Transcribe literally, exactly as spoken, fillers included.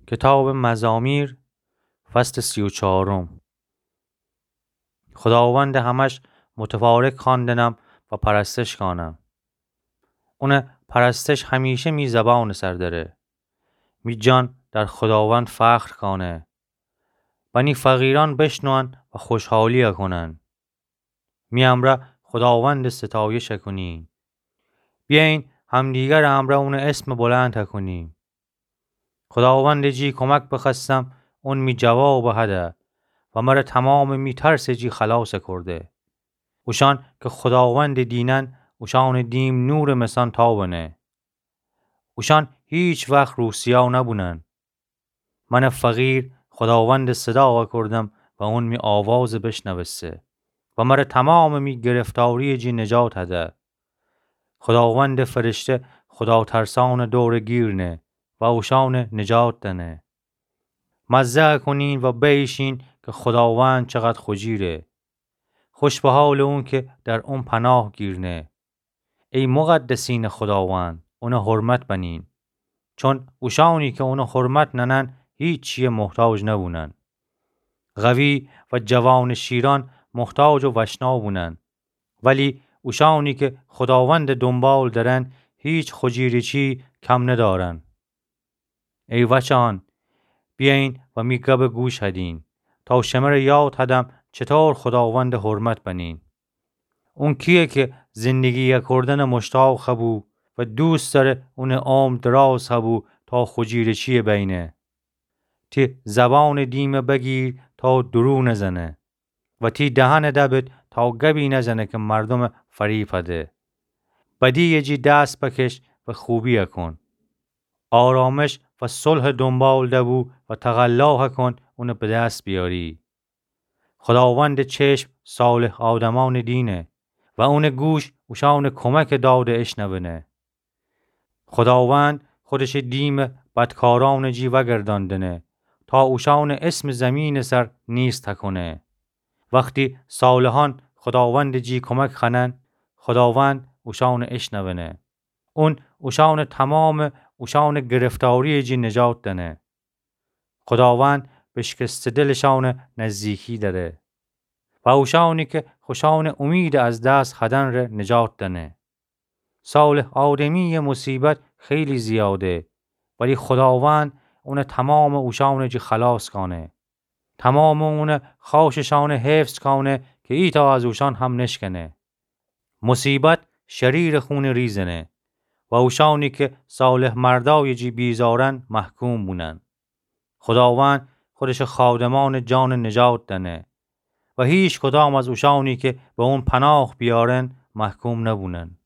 کتابٚ مزامیر، فصلٚ سی و چارم. خوداوندٚ همش متفارق خواندنم و پرستش کانم. اونٚ پرستش همیشه می زبانٚ سر دره. می جان در خوداوند فخر کانه. بنی فقیرأن بشنون و خوشحالی کونن. می امرأ خوداوندٚ ستایش کونیم. بیأیین همدیگرٚ امرأ اونٚ اسمٚ بلند کونیم. خوداوندٚ جی کمک بخوأستم، اون می جواب هده و مر تمامٚ می ترسٚ جی خلاص کورده. اوشأن کی خوداوندٚ دینن، اوشأنٚ دیم نورٚ مسان تابنه. اوشأن هیچ وخت روسیا نبونن. من فقیر خوداوندٚ صدا کوردم و اون می آواز بشنوسته و مر تمامٚ می گرفتاریٚ جی نجات هده. خوداوندٚ فرشته خوداترسأنٚ دور گیرنه و اوشأن نجات دنه. مزه کونین و بیشین کی خوداوند چقدر خوجیره. خوش به حالٚ اون کی در اون پناه گیرنه. ای مقدسینٚ خوداوند، اونٚ حرمت بنین. چون اوشأنی کی اونٚ حرمت ننن، هیچیٚ محتاج نبونن. قوی و جوانٚ شیرأن محتاج و وشنا بونن. ولی اوشأنی کی خوداوندٚ دونبال درن، هیچ خوجیرٚ چی کم ندارن. ای وچه‌یأن، بیأیین و می گبٚ گوش هدین، تا شمر یاد هدم چطور خوداوندٚ حرمت بنین. اون کیه کی زندگی کوردنٚ مشتاق هبو و دوست دأره اونٚ عمر دراز هبو تا خوجیرٚ چیٚ بینه. تی زبانٚ دیم بگیر تا دروغ نزنه. و تی دهن دبد تا گبی نزنه کی مردوم فریب هده. بدیٚ جی دست بکش و خوبی کون. آرامش و صلح دونبال دبو و تقلا کون اون به دست بیاری. خوداوندٚ چشم صالح آدمأنٚ دینه و اونٚ گوش اوشأنٚ کمکٚ داد اشنونه. خوداوند خودشٚ دیم بدکارأنٚ جی وأگردأندنه تا اوشأنٚ اسمٚ زیمینٚ سر نیست کونه. وختی صالحأن خوداوندٚ جی کمک خوأنن، خوداوند اوشأن اشنونه. اون اوشأنٚ تومامٚ اوشأنٚ گرفتاریٚ جی نجات دأنه. خوداوند بشکسته دلشأن نزدیکی دأره و اوشأنی کی خوشأنٚ اومید از دست هدن ره نجات دأنه. صالح آدمیٚ مصیبت خیلی زیاده، ولی خوداوند اونٚ تومامٚ اوشأنٚ جی خلاص کأنه. تومامٚ اونٚ خاصشأن حفظ کأنه کی ایتأ از اوشأن هم نشکنه. مصیبت شریرٚ خونٚ ریزنه و اوشأنی کی صالح مردأیٚ جی بیزارن محکوم بونن. خوداوند خودشٚ خادمأنٚ جان نجات دأنه و هیکدام از اوشأنی کی به اون پناه بیأرن محکوم نبونن.